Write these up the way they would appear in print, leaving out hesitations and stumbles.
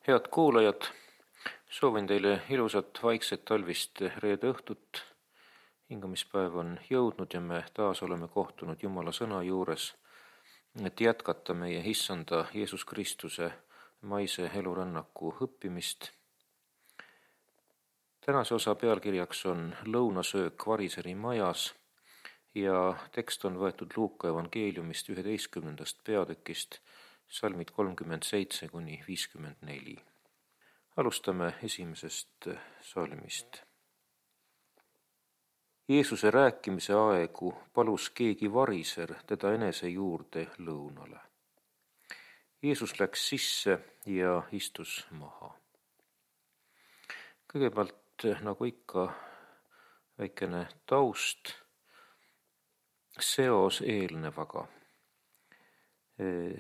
Head kuulajad, soovin teile ilusat vaikset talvist reede õhtut. Hingamispäev on jõudnud ja me taas oleme kohtunud Jumala sõna juures, et jätkata meie Issanda Jeesus Kristuse maise elurännaku õppimist. Tänase osa pealkirjaks on lõunasöök variseri majas ja tekst on võetud Luuka evangeeliumist 11. peatükist, salmid 37–54. Alustame esimesest salmist. Jeesuse rääkimise aegu palus keegi variser teda enese juurde lõunale. Jeesus läks sisse ja istus maha. Kõigepealt, nagu ikka, väikene taust, seos eelnevaga.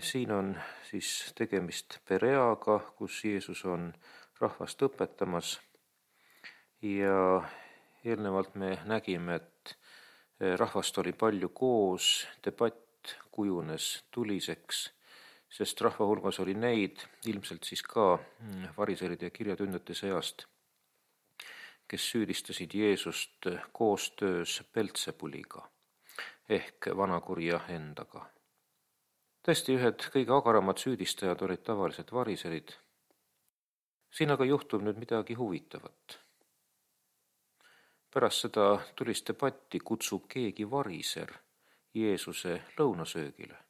Siin on siis tegemist Pereaga, kus Jeesus on rahvast õpetamas ja eelnevalt me nägime, et rahvast oli palju koos, debatt kujunes tuliseks, sest rahva hulgas oli neid, ilmselt siis ka variseride ja kirjatündjate seast, kes süüdistasid Jeesust koostöös Beltsebuliga ehk vanakurja endaga. Tõesti, ühed kõige agaramad süüdistajad olid tavaliselt variserid. Siin aga juhtub nüüd midagi huvitavat. Pärast seda tulist debatti kutsub keegi variser Jeesuse lõunasöögile.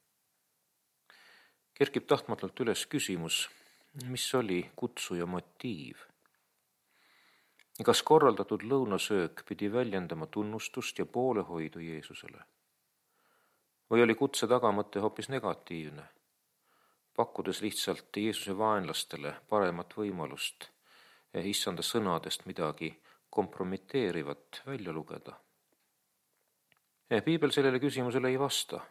Kerkib tahtmatult üles küsimus, mis oli kutsuja motiiv? Kas korraldatud lõunasöök pidi väljendama tunnustust ja poolehoidu Jeesusele? Või oli kutse tagamõte hoopis negatiivne, pakkudes lihtsalt Jeesuse vaenlastele paremat võimalust Issanda sõnadest midagi kompromiteerivat välja lugeda? Piibel sellele küsimusele ei vasta.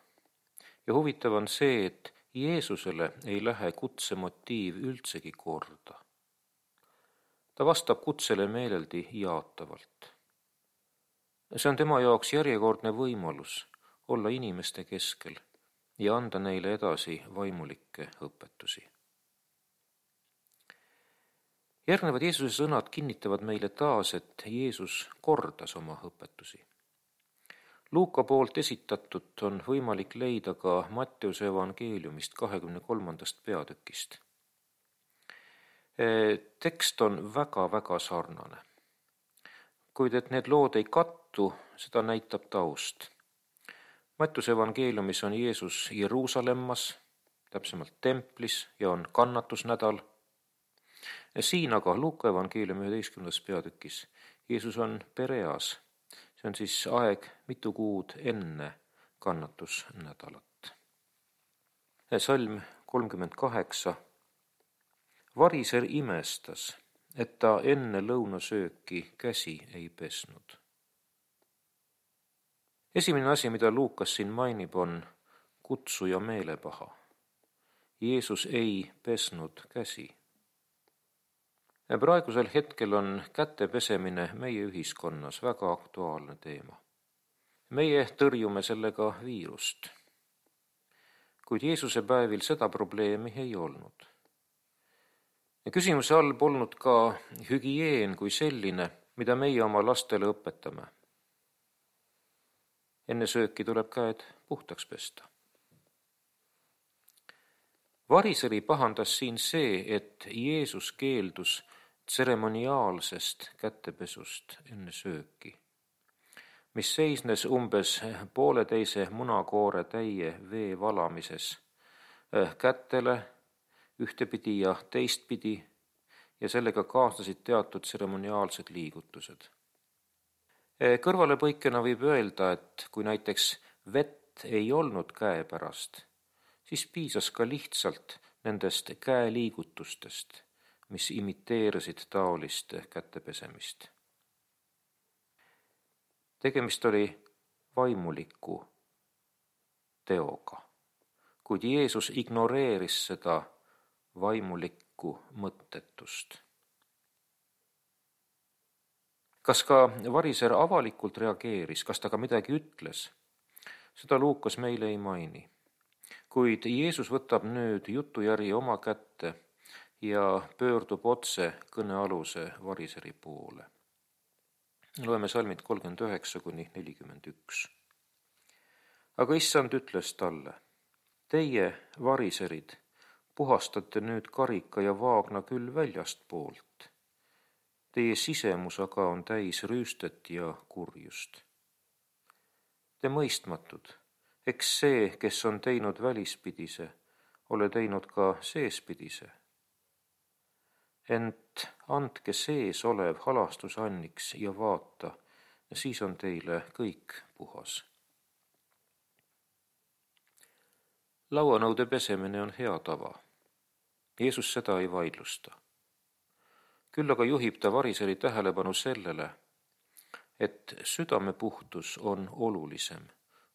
Ja huvitav on see, et Jeesusele ei lähe kutse motiiv üldsegi korda. Ta vastab kutsele meeleldi jaatavalt. See on tema jaoks järjekordne võimalus olla inimeste keskel ja anda neile edasi vaimulikke õpetusi. Järgnevad Jeesuse sõnad kinnitavad meile taas, et Jeesus kordas oma õpetusi. Luuka poolt esitatut on võimalik leida ka Matteuse evangeeliumist 23. peatükist. Tekst on väga sarnane. Kuid et need lood ei kattu, seda näitab taust. Matteuse evangeeliumis on Jeesus Jeruusalemmas, täpsemalt templis, ja on kannatusnädal. Siin aga Luuka evangeeliumi 11. peatükis Jeesus on Pereas. See on siis aeg mitu kuud enne kannatusnädalat. Salm 38. Variser imestas, et ta enne lõunasööki käsi ei pesnud. Esimene asi, mida Luukas siin mainib, on kutsuja meelepaha. Jeesus ei pesnud käsi. Praegusel hetkel on käte pesemine meie ühiskonnas väga aktuaalne teema. Meie tõrjume sellega viirust. Kuid Jeesuse päevil seda probleemi ei olnud. Ja küsimuse all polnud ka hügieen kui selline, mida meie oma lastele õpetame. Enne sööki tuleb käed puhtaks pesta. Variseri pahandas siin see, et Jeesus keeldus tseremoniaalsest kätepesust enne sööki, mis seisnes umbes 1,5 munakoore täie vee valamises kätele ühtepidi ja teistpidi ja sellega kaasnesid teatud tseremoniaalsed liigutused. Kõrvalepõikena võib öelda, et kui näiteks vett ei olnud käepärast, siis piisas ka lihtsalt nendest käeliigutustest, mis imiteerisid taolist kätepesemist. Tegemist oli vaimuliku teoga, kuid Jeesus ignoreeris seda vaimulikku mõttetust. Kas ka variser avalikult reageeris, kas ta ka midagi ütles? Seda Luukas meile ei maini. Kuid Jeesus võtab nüüd jutujärje oma kätte ja pöördub otse kõnealuse variseri poole. Loeme salmid 39–41. Aga issand ütles talle: teie, variserid, puhastate nüüd karika ja vaagna küll väljastpoolt. Teie sisemus aga on täis rüüstet ja kurjust. Te mõistmatud, eks see, kes on teinud välispidise, ole teinud ka seespidise. Ent andke sees olev halastusanniks ja vaata, siis on teile kõik puhas. Lauanõude pesemine on hea tava. Jeesus seda ei vaidlusta. Küll aga juhib ta variseri tähelepanu sellele, et südamepuhtus on olulisem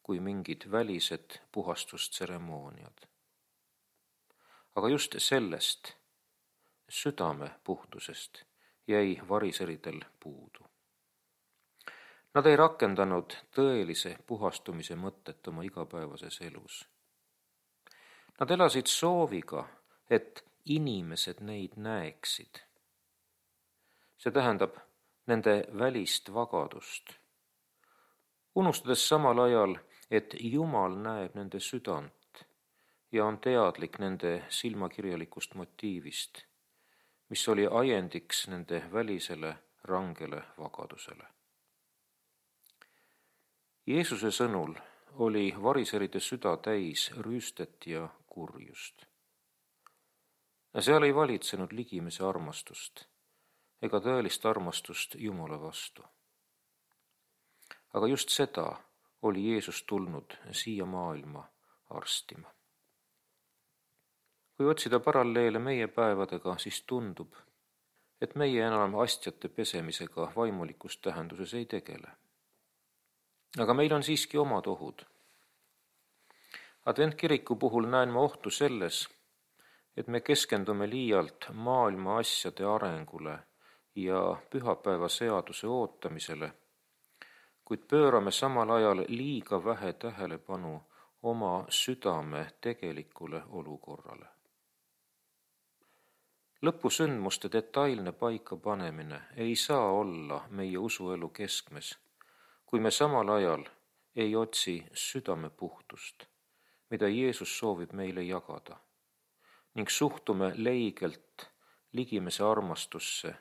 kui mingid välised puhastustseremooniad. Aga just sellest, südamepuhtusest, jäi variseridel puudu. Nad ei rakendanud tõelise puhastumise mõtet oma igapäevases elus. Nad elasid sooviga, et inimesed neid näeksid. See tähendab nende välist vagadust, unustades samal ajal, et Jumal näeb nende südant ja on teadlik nende silmakirjalikust motiivist, mis oli ajendiks nende välisele rangele vagadusele. Jeesuse sõnul oli variseride süda täis rüüstet ja kurjust. Seal ei valitsenud ligimese armastust ega tõelist armastust Jumala vastu. Aga just seda oli Jeesus tulnud siia maailma arstima. Kui otsida paralleele meie päevadega, siis tundub, et meie enam astjate pesemisega vaimulikus tähenduses ei tegele. Aga meil on siiski omad ohud. Adventkiriku puhul näen ma ohtu selles, et me keskendume liialt maailma asjade arengule ja pühapäeva seaduse ootamisele, kuid pöörame samal ajal liiga vähe tähelepanu oma südame tegelikule olukorrale. Lõpusündmuste detailne paikapanemine ei saa olla meie usuelu keskmes, kui me samal ajal ei otsi südamepuhtust, mida Jeesus soovib meile jagada, ning suhtume leigelt ligimese armastusse,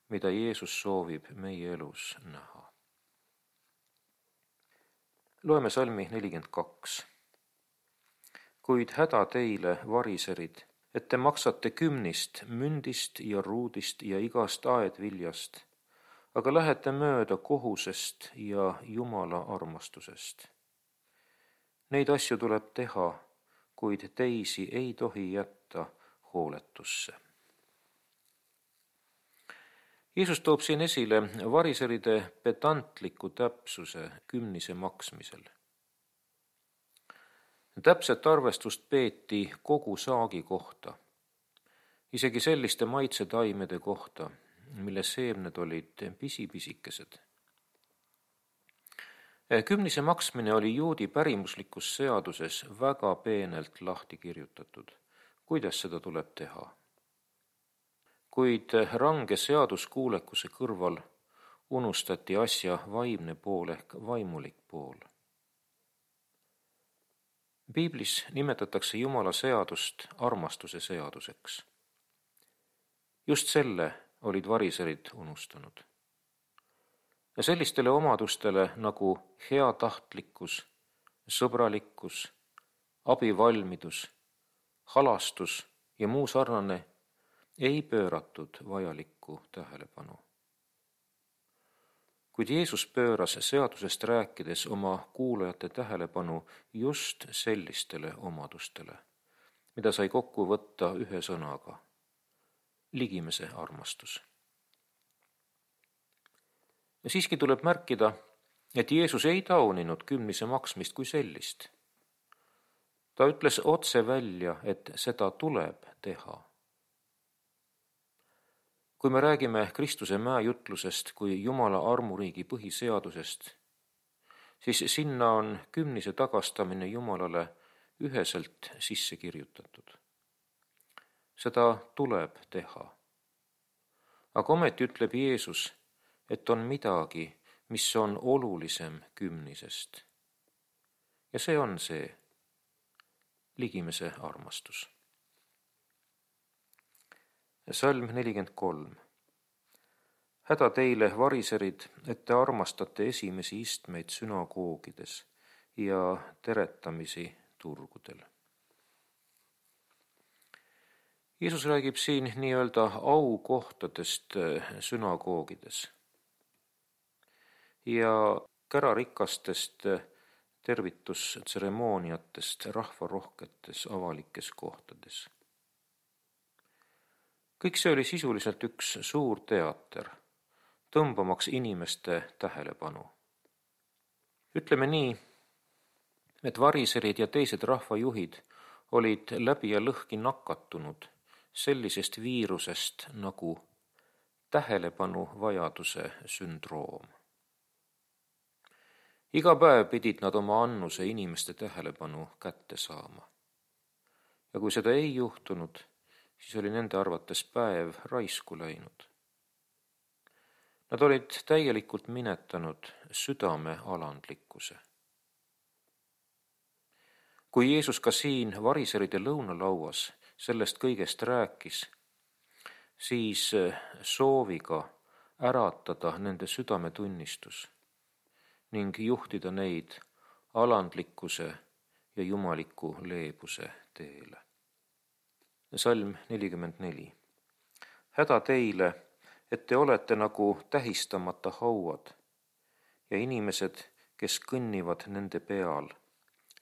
mida Jeesus soovib meie elus näha. Loeme salmi 42. Kuid häda teile, variserid, et te maksate kümnist, mündist ja ruudist ja igast aedviljast, aga lähete mööda kohusest ja Jumala armastusest. Neid asju tuleb teha, kuid teisi ei tohi jätta hooletusse. Jeesus toob siin esile variseride pedantliku täpsuse kümnise maksmisel. Täpset arvestust peeti kogu saagi kohta, isegi selliste maitsetaimede kohta, mille seemned olid pisipisikesed. Kümnise maksmine oli juudi pärimuslikus seaduses väga peenelt lahti kirjutatud, kuidas seda tuleb teha. Kuid range seaduskuulekuse kõrval unustati asja vaimne pool ehk vaimulik pool. Piiblis nimetatakse Jumala seadust armastuse seaduseks. Just selle olid variserid unustanud. Ja sellistele omadustele nagu heatahtlikkus, sõbralikkus, abivalmidus, halastus ja muu sarnane ei pööratud vajalikku tähelepanu. Kuid Jeesus pööras seadusest rääkides oma kuulajate tähelepanu just sellistele omadustele, mida sai kokku võtta ühe sõnaga: ligimese armastus. Ja siiski tuleb märkida, et Jeesus ei tauninud kümnise maksmist kui sellist. Ta ütles otse välja, et seda tuleb teha. Kui me räägime Kristuse mäejutlusest kui Jumala armuriigi põhiseadusest, siis sinna on kümnise tagastamine Jumalale üheselt sisse kirjutatud. seda tuleb teha. Aga ometi ütleb Jeesus, et on midagi, mis on olulisem kümnisest. Ja see on see ligimese armastus. Salm 43. Häda teile, variserid, et te armastate esimesi istmeid sünagoogides ja teretamisi turgudel. Jeesus räägib siin nii-öelda aukohtadest sünagoogides ja kärarikastest tervitustseremooniatest rahvarohketes avalikes kohtades. Kõik see oli sisuliselt üks suur teater, tõmbamaks inimeste tähelepanu. Ütleme nii, et variserid ja teised rahvajuhid olid läbi ja lõhki nakatunud sellisest viirusest nagu tähelepanuvajaduse sündroom. Iga päev pidid nad oma annuse inimeste tähelepanu kätte saama. Ja kui seda ei juhtunud, siis oli nende arvates päev raisku läinud. Nad olid täielikult minetanud südame alandlikkuse. Kui Jeesus ka siin variseride lõunalauas sellest kõigest rääkis, siis sooviga äratada nende südametunnistus ning juhtida neid alandlikkuse ja jumaliku leebuse teele. Salm 44. Häda teile, et te olete nagu tähistamata hauad ja inimesed, kes kõnnivad nende peal,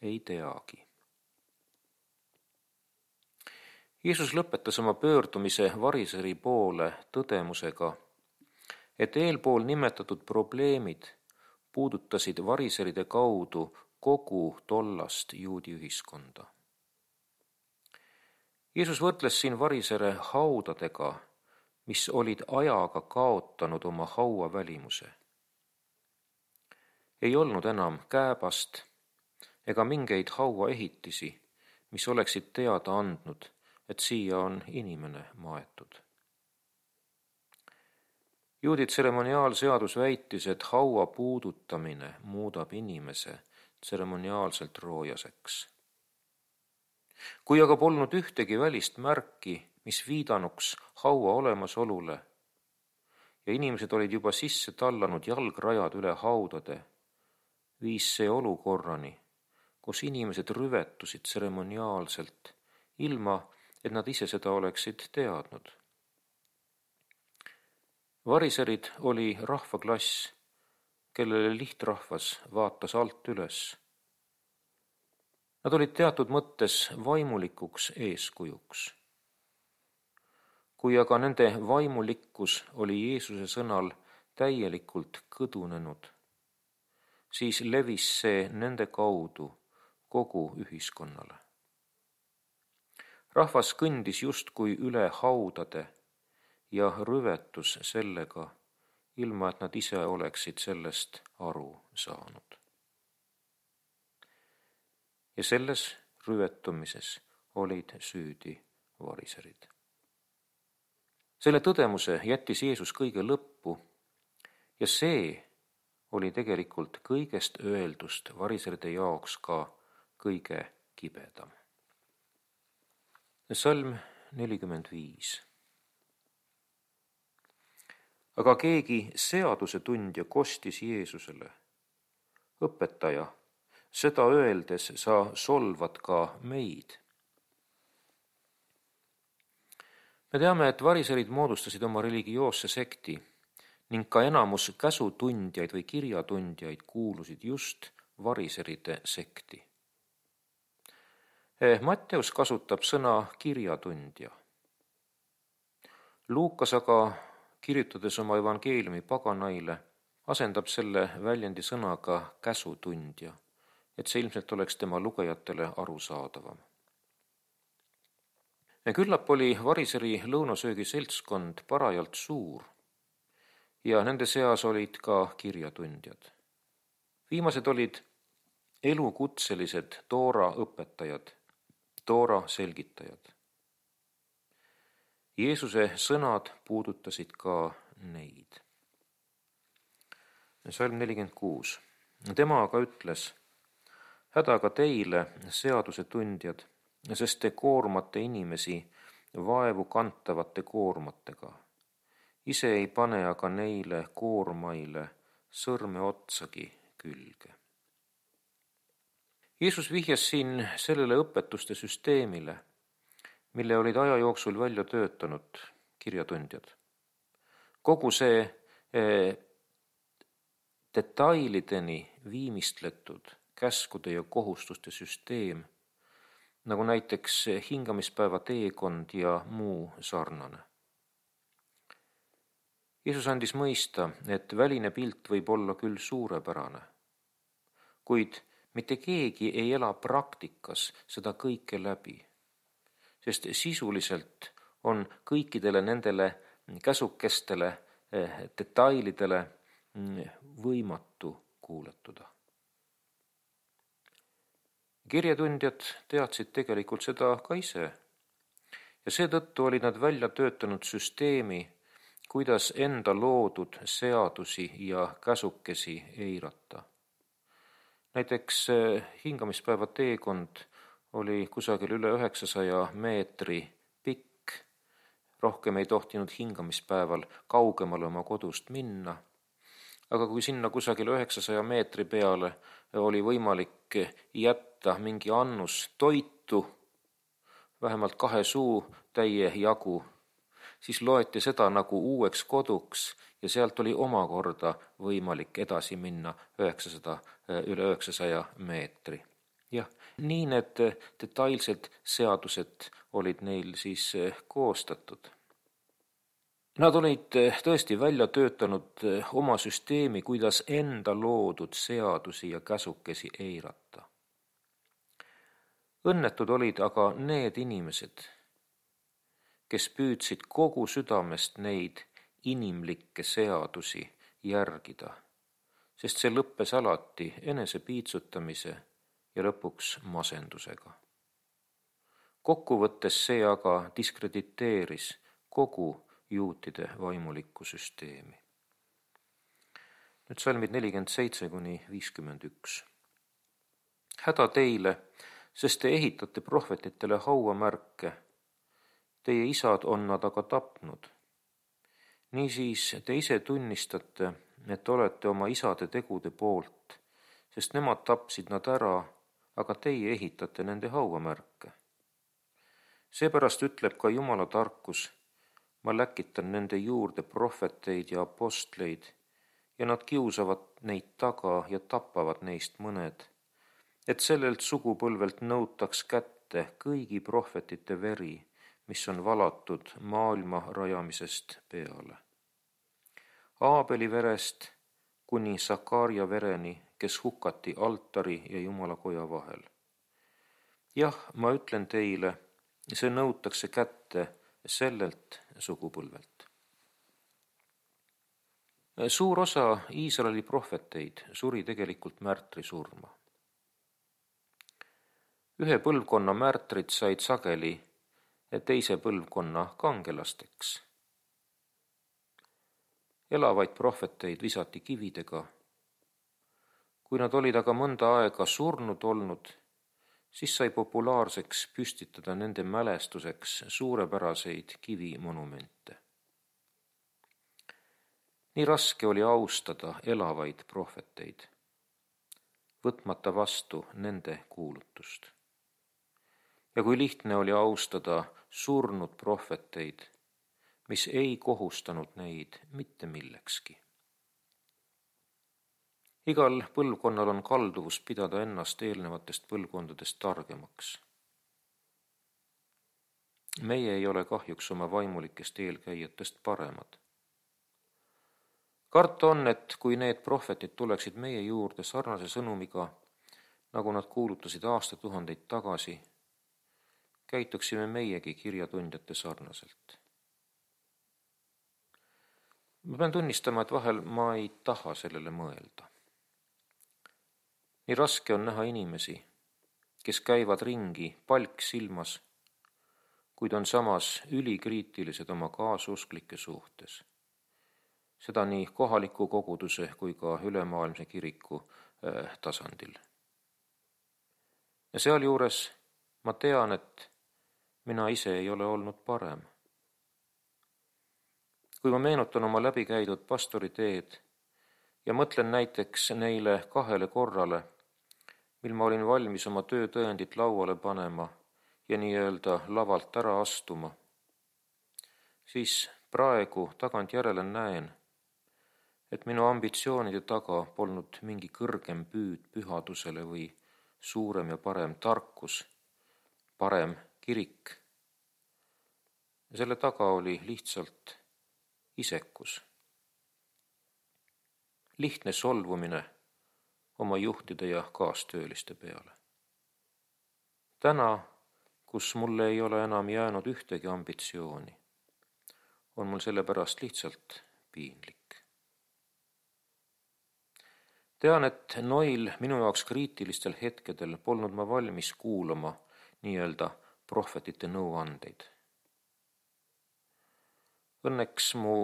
ei teagi. Jeesus lõpetas oma pöördumise variseri poole tõdemusega, et eelpool nimetatud probleemid puudutasid variseride kaudu kogu tollast juudi ühiskonda. Jeesus võrdles siin varisere haudadega, mis olid ajaga kaotanud oma hauavälimuse. Ei olnud enam kääbast ega mingeid hauaehitisi, mis oleksid teada andnud, et siia on inimene maetud. Juudi tseremoniaalseadus väitis, et haua puudutamine muudab inimese tseremoniaalselt roojaseks. Kui aga polnud ühtegi välist märki, mis viidanuks haua olemasolule ja inimesed olid juba sisse tallanud jalgrajad üle haudade, viis see olukorrani, kus inimesed rüvetusid tseremoniaalselt, ilma et nad ise seda oleksid teadnud. Variserid oli rahvaklass, kellele lihtrahvas vaatas alt üles. Nad olid teatud mõttes vaimulikuks eeskujuks. Kui aga nende vaimulikkus oli Jeesuse sõnal täielikult kõdunenud, siis levis see nende kaudu kogu ühiskonnale. Rahvas kõndis justkui üle haudade ja rüvetus sellega, ilma et nad ise oleksid sellest aru saanud. Ja selles rüvetumises olid süüdi variserid. Selle tõdemuse jättis Jeesus kõige lõppu ja see oli tegelikult kõigest öeldust variseride jaoks ka kõige kibedam. Salm 45. Aga keegi seadusetundja kostis Jeesusele: õpetaja, seda öeldes sa solvad ka meid. Me teame, et variserid moodustasid oma religioosse sekti ning ka enamus käsutundjaid või kirjatundjaid kuulusid just variseride sekti. Matteus kasutab sõna kirjatundja. Luukas aga, kirjutades oma evangeeliumi paganaile, asendab selle väljendi sõnaga käsutundja, et see ilmselt oleks tema lugejatele arusaadavam. Küllap oli variseri lõunasöögi seltskond parajalt suur ja nende seas olid ka kirjatundjad. Viimased olid elukutselised Toora õpetajad, Toora selgitajad. Jeesuse sõnad puudutasid ka neid. Salm 46. Tema aga ütles: hädaga teile, seaduse tundjad, sest te koormate inimesi vaevu kantavate koormatega. Ise ei pane aga neile koormaile sõrme otsagi külge. Jeesus vihjas siin sellele õpetuste süsteemile, mille olid aja jooksul välja töötanud kirjatundjad. Kogu see detailideni viimistletud käskude ja kohustuste süsteem, nagu näiteks hingamispäeva teekond ja muu sarnane. Jeesus andis mõista, et väline pilt võib olla küll suurepärane, kuid mitte keegi ei ela praktikas seda kõike läbi, sest sisuliselt on kõikidele nendele käsukestele, detailidele võimatu kuuletuda. Kirjatundjad teadsid tegelikult seda ka ise ja seetõttu olid nad välja töötanud süsteemi, kuidas enda loodud seadusi ja käsukesi eirata. Näiteks hingamispäeva teekond oli kusagil üle 900 meetri pikk, rohkem ei tohtinud hingamispäeval kaugemale oma kodust minna. Aga kui sinna kusagil 900 meetri peale oli võimalik jätta mingi annus toitu, vähemalt 2 suutäie jagu, siis loeti seda nagu uueks koduks ja sealt oli omakorda võimalik edasi minna üle 900 meetri. Jah, nii need detailsed seadused olid neil siis koostatud. Nad olid tõesti välja töötanud oma süsteemi, kuidas enda loodud seadusi ja käsukesi eirata. Õnnetud olid aga need inimesed, kes püüdsid kogu südamest neid inimlikke seadusi järgida, sest see lõppes alati enese piitsutamise ja lõpuks masendusega. Kokkuvõttes see aga diskrediteeris kogu juutide vaimulikku süsteemi. Nüüd salmid 47-51. Häda teile, sest te ehitate prohvetitele hauamärke. Teie isad on nad aga tapnud. Niisiis te ise tunnistate, et olete oma isade tegude poolt, sest nemad tapsid nad ära, aga teie ehitate nende hauamärke. Seepärast ütleb ka Jumala tarkus: ma läkitan nende juurde prohveteid ja apostleid ja nad kiusavad neid taga ja tapavad neist mõned, et sellelt sugupõlvelt nõutaks kätte kõigi prohvetite veri, mis on valatud maailma rajamisest peale. Aabeli verest kuni Sakaria vereni, kes hukati altari ja Jumalakoja vahel. Jah, ma ütlen teile, see nõutakse kätte sellelt sugupõlvelt. Suur osa Iisraeli prohveteid suri tegelikult märtrisurma. Ühe põlvkonna märtrid said sageli teise põlvkonna kangelasteks. Elavaid prohveteid visati kividega. Kui nad olid aga mõnda aega surnud olnud, siis sai populaarseks püstitada nende mälestuseks suurepäraseid kivimonumente. Nii raske oli austada elavaid prohveteid, võtmata vastu nende kuulutust. Ja kui lihtne oli austada surnud prohveteid, mis ei kohustanud neid mitte millekski. Igal põlvkonnal on kalduvus pidada ennast eelnevatest põlvkondadest targemaks. Meie ei ole kahjuks oma vaimulikest eelkäijatest paremad. Karta on, et kui need prohvetid tuleksid meie juurde sarnase sõnumiga, nagu nad kuulutasid aastatuhandeid tagasi, käituksime meiegi kirjatundjate sarnaselt. Ma pean tunnistama, et vahel ma ei taha sellele mõelda. Nii raske on näha inimesi, kes käivad ringi palk silmas, kuid on samas ülikriitilised oma kaasusklike suhtes. Seda nii kohaliku koguduse kui ka ülemaailmse kiriku tasandil. Ja sealjuures ma tean, et mina ise ei ole olnud parem. Kui ma meenutan oma läbikäidud pastoriteed ja mõtlen näiteks neile 2 korrale, mil ma olin valmis oma töötõendit lauale panema ja nii-öelda lavalt ära astuma, siis praegu tagantjärele näen, et minu ambitsioonide taga polnud mingi kõrgem püüd pühadusele või suurem ja parem tarkus, parem kirik. Ja selle taga oli lihtsalt isekus. Lihtne solvumine oma juhtide ja kaastööliste peale. Täna, kus mulle ei ole enam jäänud ühtegi ambitsiooni, on mul sellepärast lihtsalt piinlik. Tean, et noil minu jaoks kriitilistel hetkedel polnud ma valmis kuulama nii-öelda prohvetite nõuandeid. Õnneks mu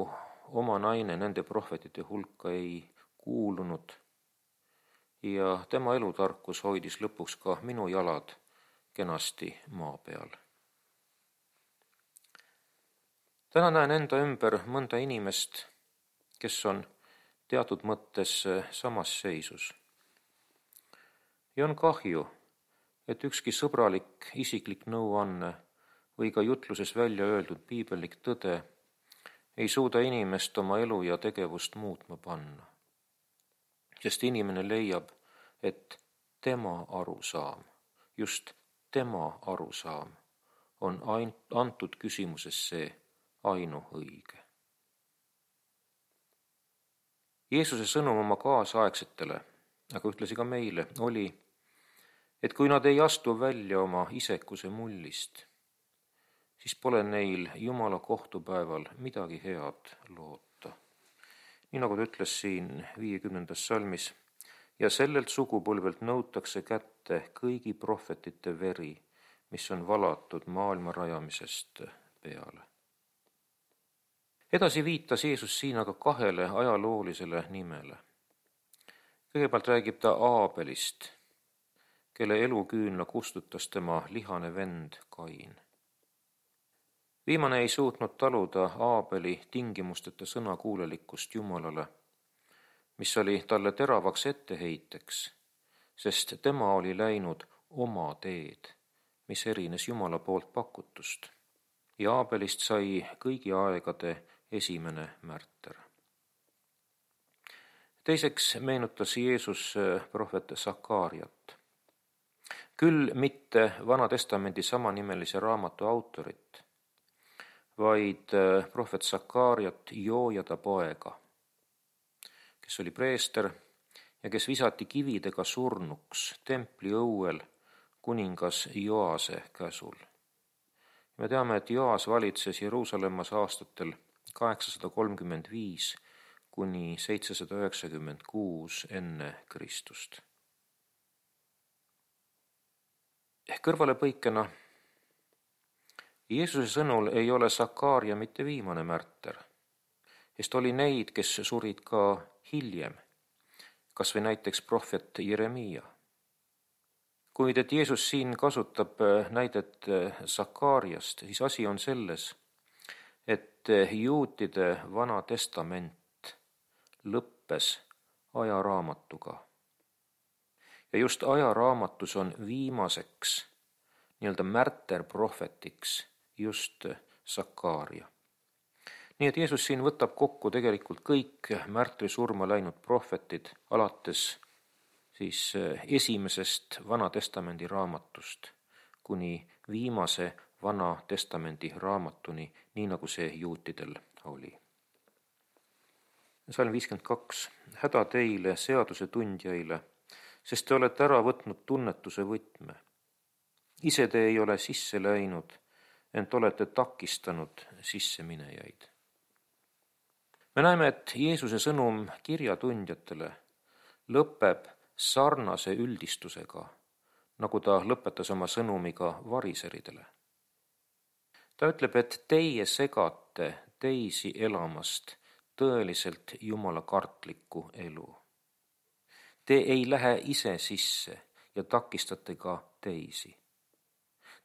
oma naine nende prohvetite hulka ei kuulunud ja tema elutarkus hoidis lõpuks ka minu jalad kenasti maa peal. Täna näen enda ümber mõnda inimest, kes on teatud mõttes samas seisus. Ja on kahju, et ükski sõbralik isiklik nõuanne või ka jutluses välja öeldud piibellik tõde ei suuda inimest oma elu ja tegevust muutma panna. Sest inimene leiab, et tema arusaam, just tema arusaam on antud küsimuses see ainuõige. Jeesuse sõnum oma kaasaegsetele, aga ühtlasi ka meile, oli, et kui nad ei astu välja oma isekuse mullist, siis pole neil Jumala kohtupäeval midagi head loota. Nii nagu ta ütles siin 50. salmis, ja sellelt sugupõlvelt nõutakse kätte kõigi prohvetite veri, mis on valatud maailma rajamisest peale. Edasi viitas Jeesus siin aga 2 ajaloolisele nimele. Kõigepealt räägib ta Aabelist, kelle eluküünla kustutas tema lihane vend Kain. Viimane ei suutnud taluda Aabeli tingimusteta sõnakuulelikkust Jumalale, mis oli talle teravaks etteheiteks, sest tema oli läinud oma teed, mis erines Jumala poolt pakutust. Ja Aabelist sai kõigi aegade esimene märter. Teiseks meenutas Jeesus prohvet Sakariat. Küll mitte Vana Testamendi samanimelise raamatu autorit, vaid prohvet Sakariat Joojada poega, kes oli preester ja kes visati kividega surnuks templi õuel kuningas Joase käsul. Me teame, et Joas valitses Jeruusalemmas aastatel 835 kuni 796 enne Kristust. Kõrvalepõikena, Jeesuse sõnul ei ole Sakaaria mitte viimane märter, sest oli neid, kes surid ka hiljem, kas või näiteks prohvet Jeremiia. Kuid et Jeesus siin kasutab näidet Sakaariast, siis asi on selles, et juutide Vana Testament lõppes ajaraamatuga. Ja just ajaraamatus on viimaseks nii-öelda märterprohvetiks just Sakaaria. Nii et Jeesus siin võtab kokku tegelikult kõik märtrisurma läinud prohvetid alates siis esimesest Vana Testamendi raamatust kuni viimase Vana Testamendi raamatuni, nii nagu see juutidel oli. Salm 52. Häda teile, seaduse tundjaile, sest te olete ära võtnud tunnetuse võtme. Ise te ei ole sisse läinud, ent olete takistanud sisseminejaid. Me näeme, et Jeesuse sõnum kirjatundjatele lõpeb sarnase üldistusega, nagu ta lõpetas oma sõnumiga variseridele. ta ütleb, et teie segate teisi elamast tõeliselt jumalakartlikku elu. Te ei lähe ise sisse ja takistate ka teisi.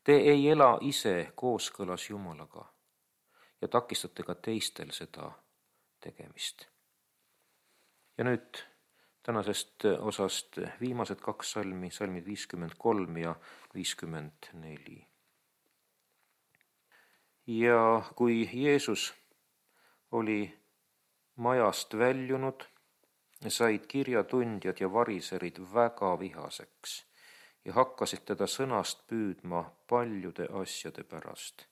Te ei ela ise kooskõlas Jumalaga ja takistate ka teistel seda tegemist. Ja nüüd tänasest osast viimased 2 salmi, salmid 53 ja 54. Ja kui Jeesus oli majast väljunud, said kirjatundjad ja variserid väga vihaseks ja hakkasid teda sõnast püüdma paljude asjade pärast,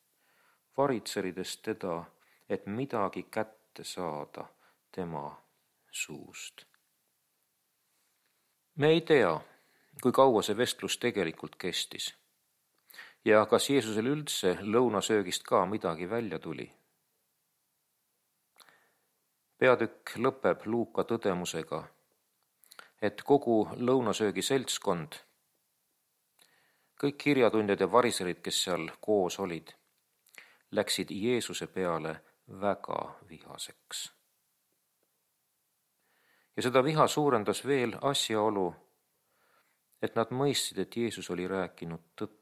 varitserides teda, et midagi kätte saada tema suust. Me ei tea, kui kaua see vestlus tegelikult kestis ja kas Jeesusel üldse lõunasöögist ka midagi välja tuli. Peatükk lõpeb Luuka tõdemusega, et kogu lõunasöögi seltskond, kõik kirjatundjad ja variserid, kes seal koos olid, läksid Jeesuse peale väga vihaseks. Ja seda viha suurendas veel asjaolu, et nad mõistsid, et Jeesus oli rääkinud tõtt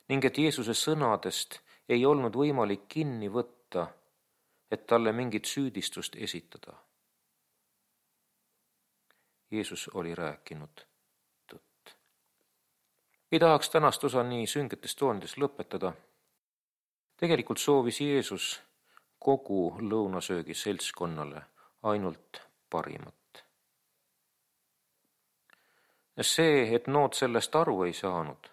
ning et Jeesuse sõnadest ei olnud võimalik kinni võtta, et talle mingit süüdistust esitada. Jeesus oli rääkinud tõtt. Ei tahaks tänast osa nii süngetes toonides lõpetada. Tegelikult soovis Jeesus kogu lõunasöögi seltskonnale ainult parimat. See, et nood sellest aru ei saanud,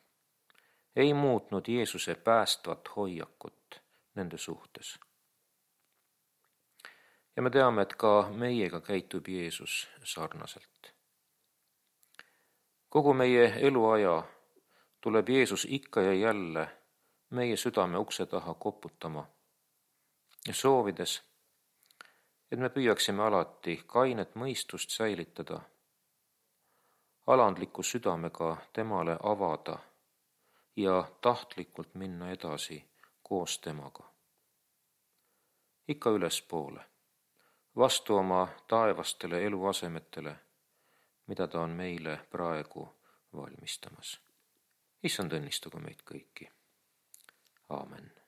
ei muutnud Jeesuse päästvat hoiakut nende suhtes. Ja me teame, et ka meiega käitub Jeesus sarnaselt. Kogu meie eluaja tuleb Jeesus ikka ja jälle meie südame ukse taha koputama ja soovides, et me püüaksime alati kainet mõistust säilitada, alandliku südamega temale avada ja tahtlikult minna edasi koos temaga. Ikka ülespoole, vastu oma taevastele eluasemetele, mida ta on meile praegu valmistamas. Issand õnnistagu meid kõiki. Aamen.